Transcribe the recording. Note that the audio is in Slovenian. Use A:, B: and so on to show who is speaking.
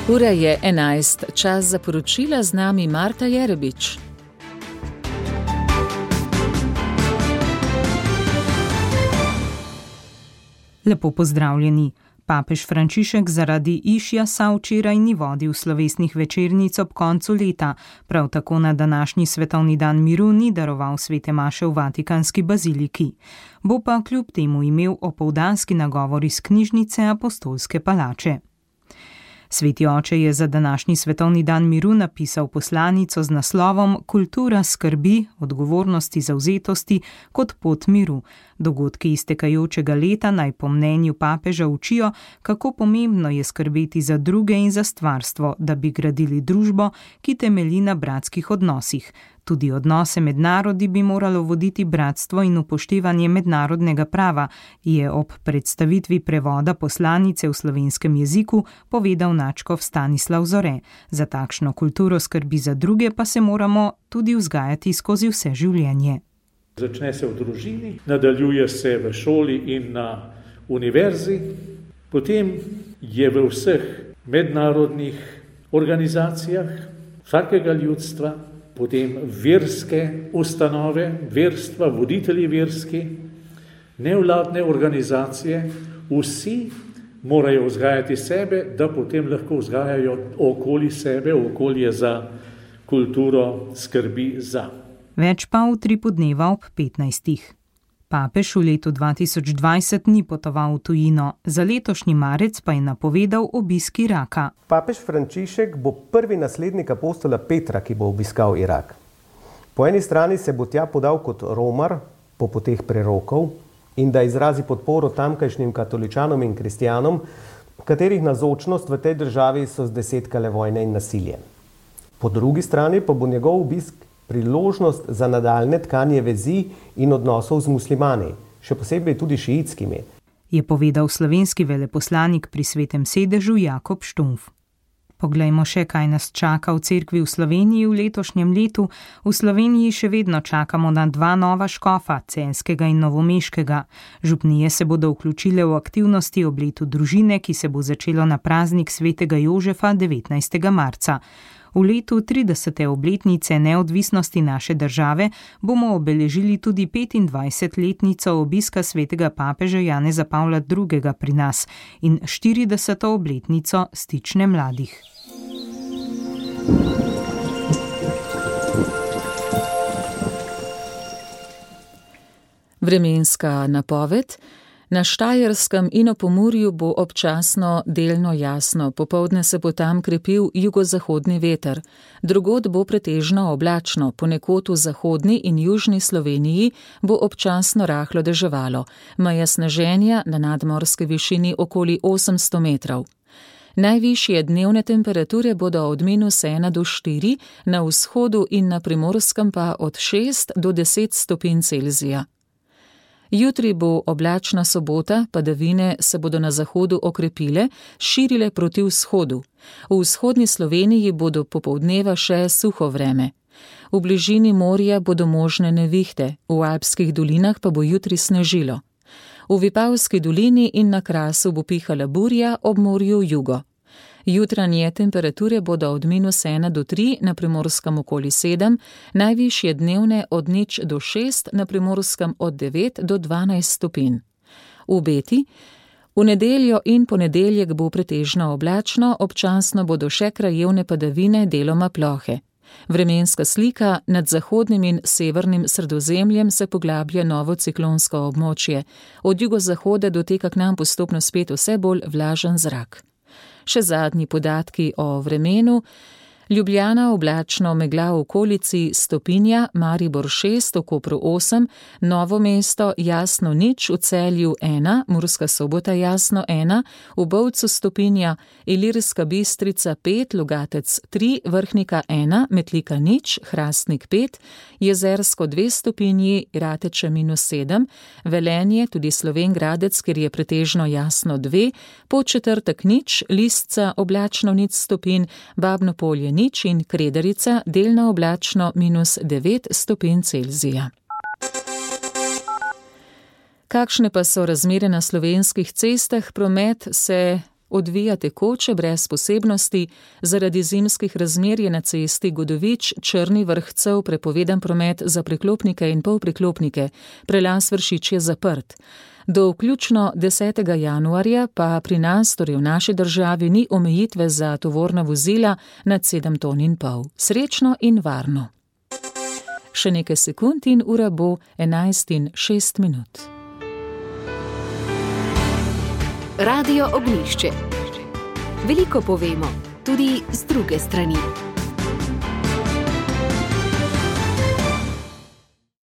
A: Ura je 11, čas za poročila, z nami Marta Jerebič.
B: Lepo pozdravljeni. Papež Frančišek zaradi išjasa včeraj ni vodil slovesnih večernic ob koncu leta, prav tako na današnji svetovni dan miru ni daroval svete maše v Vatikanski baziliki. Bo pa kljub temu imel opoldanski nagovor iz knjižnice Apostolske palače. Sveti oče je za današnji svetovni dan miru napisal poslanico z naslovom Kultura skrbi, odgovornosti, zavzetosti kot pot miru. Dogodki iztekajočega leta naj po mnenju papeža učijo, kako pomembno je skrbeti za druge in za stvarstvo, da bi gradili družbo, ki temelji na bratskih odnosih. Tudi odnose med narodi bi moralo voditi bratstvo in upoštevanje mednarodnega prava, je ob predstavitvi prevoda poslanice v slovenskem jeziku povedal nadškof Stanislav Zore. Za takšno kulturo skrbi za druge pa se moramo tudi vzgajati skozi vse življenje.
C: Začne se v družini, nadaljuje se v šoli in na univerzi, potem je v vseh mednarodnih organizacijah vsakega ljudstva, potem verske ustanove, verstva, voditelji verski, nevladne organizacije, vsi morajo vzgajati sebe, da potem lahko vzgajajo okoli sebe, okolje za kulturo skrbi za.
B: Več pa v Tripu dneva ob 15. Papež v letu 2020 ni potoval v tujino, za letošnji marec pa je napovedal obisk Iraka.
D: Papež Frančišek bo prvi naslednik apostola Petra, ki bo obiskal Irak. Po eni strani se bo tja podal kot romar po poteh prerokov in da izrazi podporo tamkajšnjim katoličanom in kristjanom, katerih navzočnost v tej državi so zdesetkale vojne in nasilje. Po drugi strani pa bo njegov obisk priložnost za nadaljne tkanje vezi in odnosov z muslimani, še posebej tudi šiitskimi,
B: je povedal slovenski veleposlanik pri Svetem sedežu Jakob Štumf. Poglejmo še, kaj nas čaka v cerkvi v Sloveniji v letošnjem letu. V Sloveniji še vedno čakamo na 2 nova škofa, celjskega in novomeškega. Župnije se bodo vključile v aktivnosti ob letu družine, ki se bo začelo na praznik svetega Jožefa 19. marca. V letu 30. obletnice neodvisnosti naše države bomo obeležili tudi 25-letnico obiska svetega papeža Janeza Pavla II. Pri nas in 40. obletnico Stične mladih.
A: Vremenska napoved. Na Štajerskem in v Pomurju bo občasno delno jasno, popoldne se bo tam krepil jugozahodni veter. Drugod bo pretežno oblačno, ponekod v zahodni in južni Sloveniji bo občasno rahlo deževalo, meja sneženja na nadmorski višini okoli 800 metrov. Najvišje dnevne temperature bodo od -1 do 4, na vzhodu in na Primorskem pa od 6 do 10 stopinj Celzija. Jutri bo oblačna sobota, padavine se bodo na zahodu okrepile, širile proti vzhodu. V vzhodni Sloveniji bodo popoldneva še suho vreme. V bližini morja bodo možne nevihte, v alpskih dolinah pa bo jutri snežilo. V Vipavski dolini in na Krasu bo pihala burja, ob morju jugo. Jutranje temperature bodo od -1 do 3, na Primorskem okoli 7, najvišje dnevne od 0 do 6, na Primorskem od 9 do 12 stopinj. V Beti. V nedeljo in ponedeljek bo pretežno oblačno, občasno bodo še krajevne padavine, deloma plohe. Vremenska slika. Nad zahodnim in severnim Sredozemljem se poglablja novo ciklonsko območje. Od jugozahoda doteka k nam postopno spet vse bolj vlažen zrak. Še zadnji podatki o vremenu. Ljubljana oblačno, megla v okolici, stopinja, Maribor 6, v Kopru 8, Novo mesto jasno 0, v Celju 1, Murska Sobota jasno 1, v Bovcu stopinja, Ilirska Bistrica 5, Logatec 3, Vrhnika 1, Metlika 0, Hrastnik 5, Jezersko 2 stopinji, Rateče -7, Velenje, tudi Slovenj Gradec, kjer je pretežno jasno 2, Podčetrtek 0, Lisca oblačno 0 stopinj, Babno Polje 0 in Kredarica delno oblačno -9 stopinj Celzija. Kakšne pa so razmere na slovenskih cestah? Promet se odvija tekoče brez posebnosti, zaradi zimskih razmer je na cesti Godovič-Črni Vrh-Cev prepovedan promet za priklopnike in polpriklopnike, prelaz Vršič je zaprt. Do vključno 10. januarja pa pri nas, torej v naši državi, ni omejitve za tovorna vozila nad 7,5 ton. Srečno in varno. Še nekaj sekund in ura bo 11:06.
E: Radio Ognjišče. Veliko povemo, tudi z druge strani.